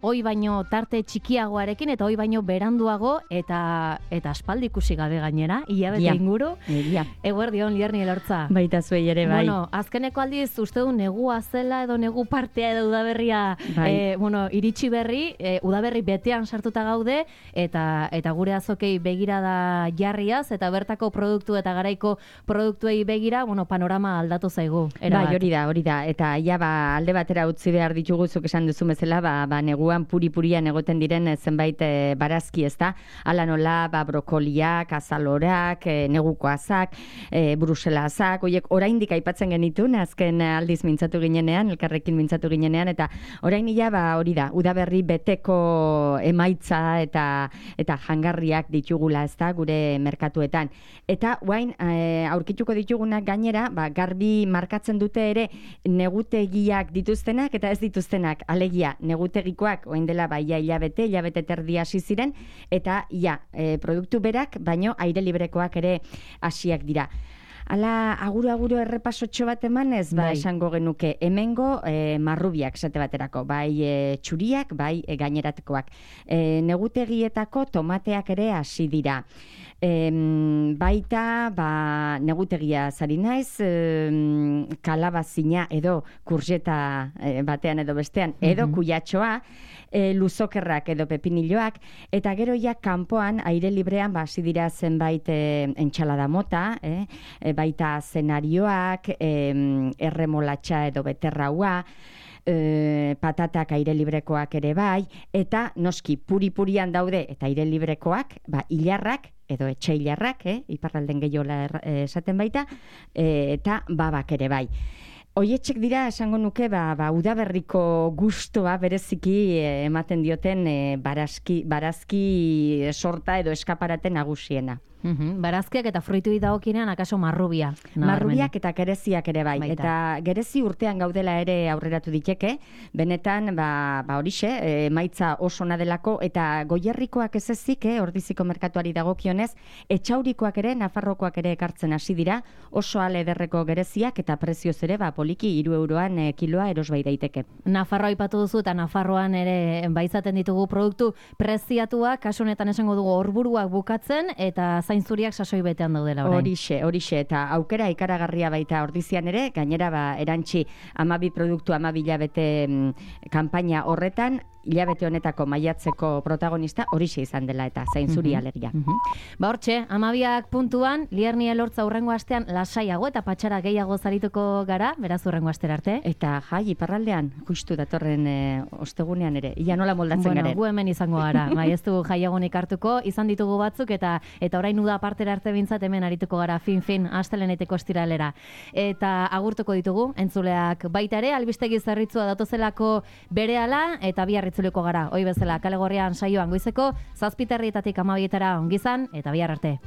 oi baino tarte txikiagoarekin eta oi baino beranduago eta aspaldi ikusi gabe gainera, hilabete inguru. Eguerdion, Lierni Elortza. Baita zuei ere, bai. Bueno, azkeneko aldiz uste du negua zela edo negu partea edo udaberria iritsi berri, udaberri betean sartuta gaude eta gure azokei begirada jarriaz eta bertako produktu eta garaiko produktuei begira, panorama aldatu zaigu. Bai, hori da. Eta alde batera utzi behar ditugu zuk esan duzu bezala, neguan puri-purian egoten diren zenbait barazki, ezta? Hala nola, brokoliak, azalorak, neguko azak, brusela azak, oiek oraindik aipatzen genitun, azken aldiz mintzatu ginenean, elkarrekin mintzatu ginenean, eta orain hori da, udaberri beteko emaitza eta jangarriak ditugula, ezta, gure merkatuetan. Eta guain, aurkituko ditugunak gainera, garbi markatzen dute ere negutegiak dituztenak eta ez dituztenak. Alegia, negutegikoak orain dela hilabete terdi hasi ziren, eta produktu berak, baino aire librekoak ere hasiak dira. Hala, aguru errepasotxo bat emanez, esango genuke, hemengo marrubiak esate baterako, bai txuriak, bai gaineratekoak. Negutegietako tomateak ere hasi dira. Baita, negutegia zari naiz, kalabazina edo kurzeta batean edo bestean, edo kuyatxoa, luzokerrak edo pepinilloak, eta gero kanpoan, aire librean, hasi dira zenbait entxalada mota, baita zenarioak, erremolatxa edo beterraua, patatak aire librekoak ere bai, eta noski puri-purian daude eta aire librekoak, hilarrak, edo etxailarrak, iparralden gehiola esaten baita, eta babak ere bai. Hoietxek dira, esango nuke, udaberriko gustoa bereziki ematen dioten barazki sorta edo eskaparate nagusiena. Barazkiak eta fruituei dagokinean akaso marrubia. Marrubiak eta gereziak ere bai. Eta gerezi urtean gaudela ere aurreratu diteke, benetan, horixe, maitza oso nadelako, eta goierrikoak ez ezik, ordiziko merkatuari dagokionez, etxaurikoak ere, nafarrokoak ere ekartzen hasi dira, oso ale ederreko gereziak eta prezioz ere, poliki 3 euroan kiloa eros bai daiteke. Nafarroa aipatu duzu eta Nafarroan ere baizaten ditugu produktu preziatuak, kasu honetan esango dugu orburuak bukatzen eta zainzuriak sasoi betean daudela orain. Horixe, eta aukera ikaragarria baita ordizian ere, gainera erantzi 12 produktu 12 hilabete kanpaina horretan, hilabete honetako maiatzeko protagonista horixe izan dela eta zainzuri alegia. Hortxe, 12ak puntuan, Lierni Elortza hurrengo astean lasaiago eta patxara gehiago zarituko gara, beraz hurrengo astera arte. Eta iparraldean, justu datorren ostegunean ere, ia nola moldatzen garen. Gu hemen izango gara, ez du jaiagonik hartuko, izan ditugu batzuk eta orain uda partera arte bintzat hemen arituko gara fin, asteleneteko estiralera. Eta agurtuko ditugu, entzuleak baita ere, albistegi zerritzua datozelako berehala eta bihar itzuliko gara. Hoi bezala, Kale Gorrian saioan goizeko, 7:00 ongizan eta bihar arte.